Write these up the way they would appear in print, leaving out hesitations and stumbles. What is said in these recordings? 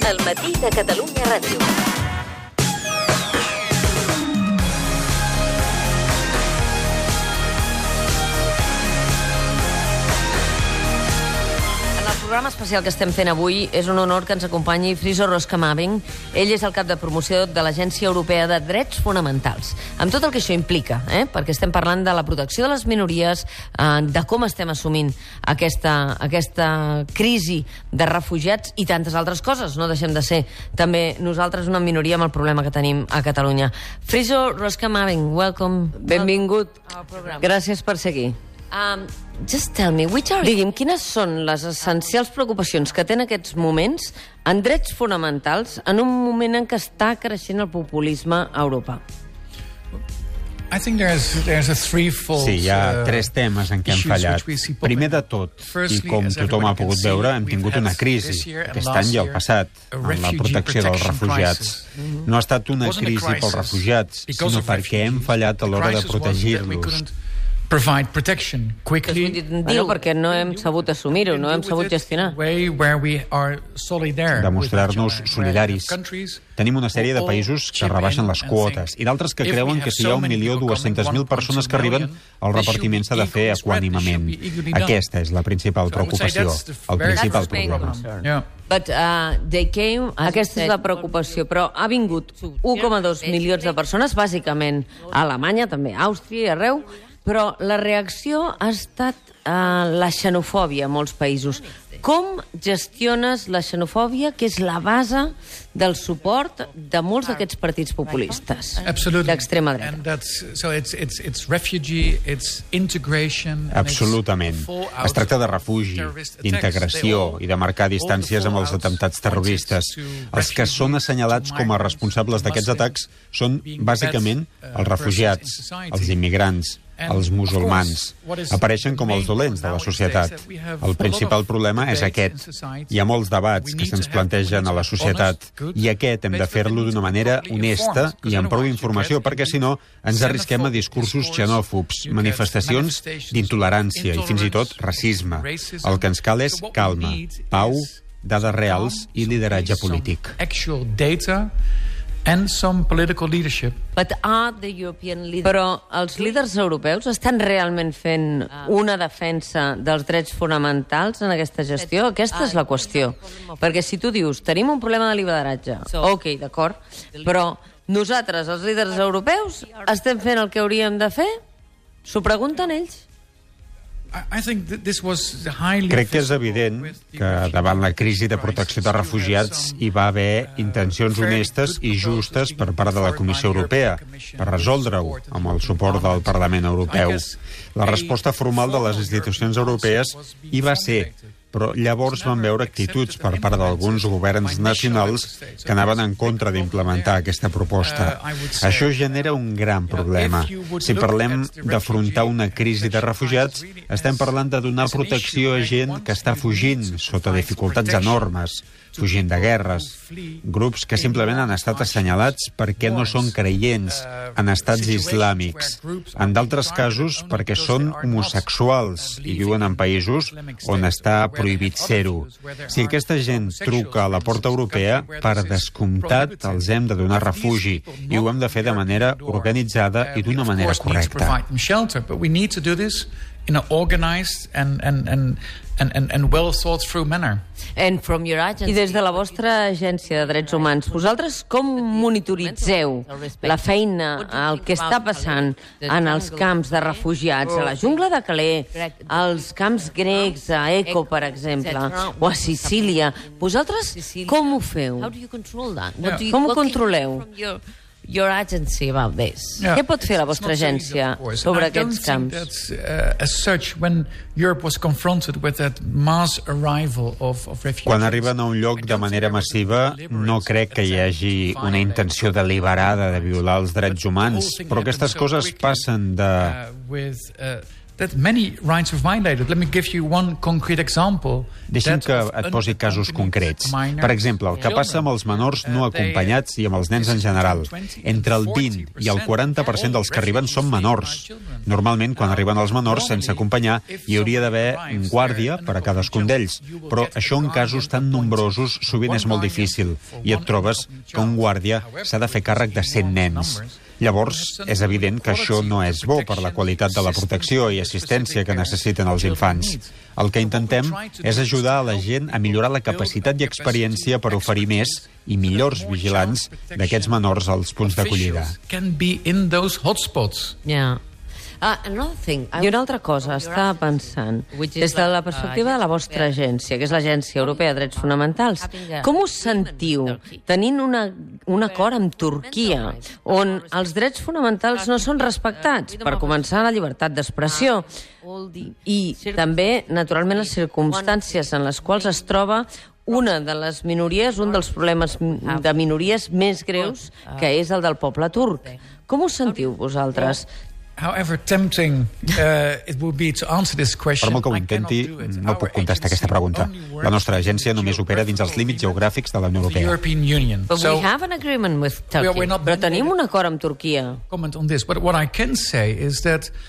El matí de Catalunya Ràdio. El programa especial que estem fent avui és un honor que ens acompanyi Friso Roskamaving. Ell és el cap de promoció de l'Agència Europea de Drets Fonamentals. Amb tot el que això implica, perquè estem parlant de la protecció de les minories, de com estem assumint aquesta crisi de refugiats i tantes altres coses. No deixem de ser també nosaltres una minoria amb el problema que tenim a Catalunya. Friso Roskamaving, welcome. Benvingut. Gràcies per ser aquí. Just tell me, digui'm, quines són les essencials preocupacions que té en aquests moments en drets fonamentals en un moment en què està creixent el populisme a Europa? Sí, hi ha tres temes en què hem fallat. Primer de tot, i com tothom ha pogut veure, hem tingut una crisi, aquest any i el passat, en la protecció dels refugiats. No ha estat una crisi pels refugiats, sinó perquè hem fallat a l'hora de protegir-los. Provide protection quickly. Perquè no hem sabut assumir-ho, no hem sabut gestionar. Demostrar-nos solidaris. Tenim una sèrie de països que rebaixen les quotes i d'altres que creuen que si hi ha 1.200.000 persones que arriben, el repartiment s'ha de fer equànimement. Aquesta és la principal preocupació, el principal problema. Aquesta és la preocupació, però ha vingut 1,2 milions de persones, bàsicament a Alemanya, també a Àustria i arreu, però la reacció ha estat la xenofòbia a molts països. Com gestiones la xenofòbia, que és la base del suport de molts d'aquests partits populistes d'extrema dreta? Absolutament. Es tracta de refugi, d'integració i de marcar distàncies amb els atemptats terroristes. Els que són assenyalats com a responsables d'aquests atacs són, bàsicament, els refugiats, els immigrants, els musulmans. Apareixen com els dolents de la societat. El principal problema és aquest. Hi ha molts debats que se'ns plantegen a la societat i aquest hem de fer-lo d'una manera honesta i amb prou informació, perquè si no ens arrisquem a discursos xenòfobs, manifestacions d'intolerància i fins i tot racisme. El que ens cal és calma, pau, dades reals i lideratge polític. Però els líders europeus estan realment fent una defensa dels drets fonamentals en aquesta gestió? Aquesta és la qüestió. Perquè si tu dius, tenim un problema de lideratge, ok, d'acord, però nosaltres, els líders europeus, estem fent el que hauríem de fer? S'ho pregunten ells? Crec que és evident que davant la crisi de protecció de refugiats hi va haver intencions honestes i justes per part de la Comissió Europea per resoldre-ho amb el suport del Parlament Europeu. La resposta formal de les institucions europees hi va ser, però llavors vam veure actituds per part d'alguns governs nacionals que anaven en contra d'implementar aquesta proposta. Això genera un gran problema. Si parlem d'afrontar una crisi de refugiats, estem parlant de donar protecció a gent que està fugint sota dificultats enormes, fugint de guerres, grups que simplement han estat assenyalats perquè no són creients en estats islàmics, en d'altres casos perquè són homosexuals i viuen en països on està prohibit ser-ho. Si aquesta gent truca a la porta europea, per descomptat els hem de donar refugi i ho hem de fer de manera organitzada i d'una manera correcta. In an organized and well thought through manner. I des de la vostra agència de drets humans, vosaltres com monitoritzeu la feina, el que està passant en els camps de refugiats, a la jungla de Calais, als camps grecs, a Eco, per exemple, o a Sicília? Vosaltres com ho feu? Com ho controleu? Your agency about this. Què pot fer la vostra agència sobre aquests camps? Quan arriben a un lloc de manera massiva, no crec que hi hagi una intenció deliberada de violar els drets humans, però aquestes coses passen de that many rights are violated. Let me give you one concrete example. Deixi'm que et posi casos concrets. Per exemple, el que passa amb els menors no acompanyats i amb els nens en general. Entre el 20 i el 40% dels que arriben són menors. Normalment, quan arriben els menors sense acompanyar, hi hauria d'haver un guàrdia per a cadascun d'ells. Però això en casos tan nombrosos sovint és molt difícil i et trobes que un guàrdia s'ha de fer càrrec de 100 nens. Llavors, és evident que això no és bo per la qualitat de la protecció i assistència que necessiten els infants. El que intentem és ajudar a la gent a millorar la capacitat i experiència per oferir més i millors vigilants d'aquests menors als punts d'acollida. Yeah. I una altra cosa, estava pensant, des de la perspectiva de la vostra agència, que és l'Agència Europea de Drets Fonamentals, com us sentiu tenint un acord amb Turquia, on els drets fonamentals no són respectats? Per començar, la llibertat d'expressió i també, naturalment, les circumstàncies en les quals es troba una de les minories, un dels problemes de minories més greus, que és el del poble turc. Com us sentiu vosaltres? However tempting it would be to answer this question, per molt que ho intenti, no puc contestar aquesta pregunta. La nostra agència només opera dins els límits geogràfics de la Unió Europea. But we have an agreement with Turkey. Però tenim un acord amb Turquia.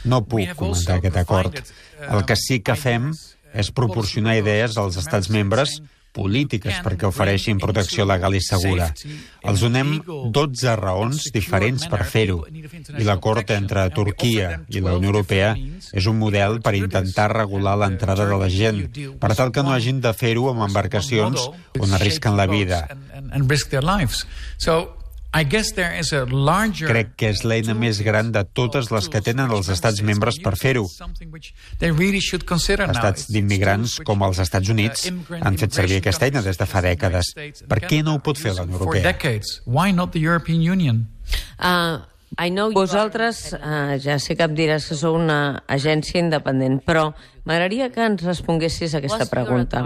No puc comentar aquest acord. El que sí que fem és proporcionar idees als estats membres polítiques perquè ofereixin protecció legal i segura. Els donem 12 raons diferents per fer-ho. I l'acord entre Turquia i la Unió Europea és un model per intentar regular l'entrada de la gent, per tal que no hagin de fer-ho amb embarcacions on arrisquen la vida. Crec que és l'eina més gran de totes les que tenen els estats membres per fer-ho. Estats d'immigrants com els Estats Units han fet servir aquesta eina des de fa dècades. Per què no ho pot fer la Unió Europea? Vosaltres, ja sé que em diràs que sou una agència independent, però m'agradaria que ens responguessis a aquesta pregunta.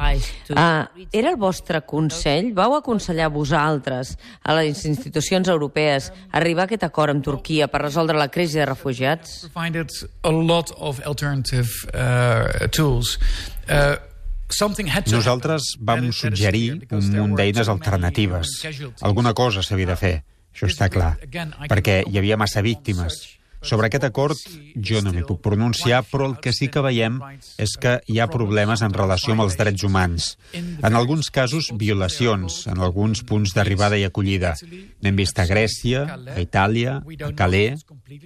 Era el vostre consell? Vau aconsellar vosaltres a les institucions europees arribar a aquest acord amb Turquia per resoldre la crisi de refugiats? Nosaltres vam suggerir un munt d'eines alternatives. Alguna cosa s'havia de fer. Això està clar, perquè hi havia massa víctimes. Sobre aquest acord jo no m'hi puc pronunciar, però el que sí que veiem és que hi ha problemes en relació amb els drets humans. En alguns casos, violacions, en alguns punts d'arribada i acollida. N'hem vist a Grècia, a Itàlia, a Calais.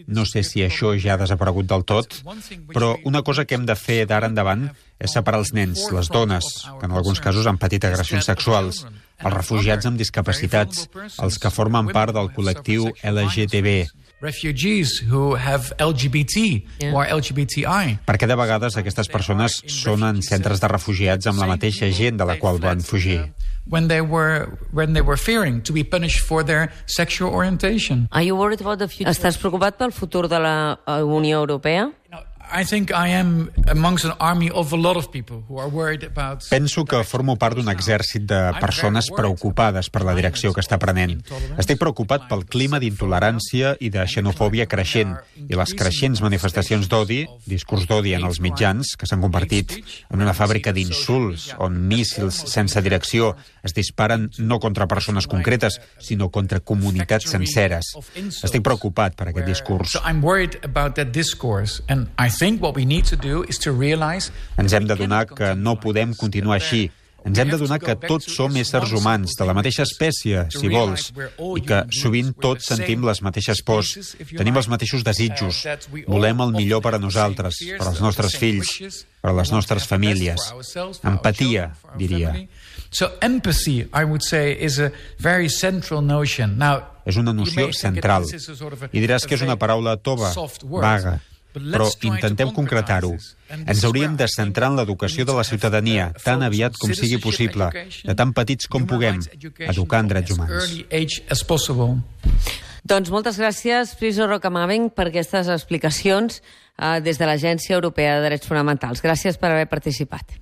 No sé si això ja ha desaparegut del tot, però una cosa que hem de fer d'ara endavant és separar els nens, les dones, que en alguns casos han patit agressions sexuals, els refugiats amb discapacitats, els que formen part del col·lectiu LGTB, perquè de vegades aquestes persones són en centres de refugiats amb la mateixa gent de la qual van fugir. Estàs preocupat pel futur de la Unió Europea? Penso que formo part d'un exèrcit de persones preocupades per la direcció que està prenent. Estic preocupat pel clima d'intolerància i de xenofòbia creixent i les creixents manifestacions d'odi, discurs d'odi en els mitjans, que s'han convertit en una fàbrica d'insults on míssils sense direcció es disparen no contra persones concretes, sinó contra comunitats senceres. Estic preocupat per aquest discurs. Ens hem d'adonar que no podem continuar així. Ens hem d'adonar que tots som éssers humans, de la mateixa espècie, si vols, i que sovint tots sentim les mateixes pors, tenim els mateixos desitjos, volem el millor per a nosaltres, per als nostres fills, per a les nostres famílies. Empatia, diria. És una noció central. I diràs que és una paraula tova, vaga, però intentem concretar-ho. Ens hauríem de centrar en l'educació de la ciutadania, tan aviat com sigui possible, de tan petits com puguem, educar en drets humans. Doncs moltes gràcies, Friso Rocamaben, per aquestes explicacions des de l'Agència Europea de Drets Fonamentals. Gràcies per haver participat.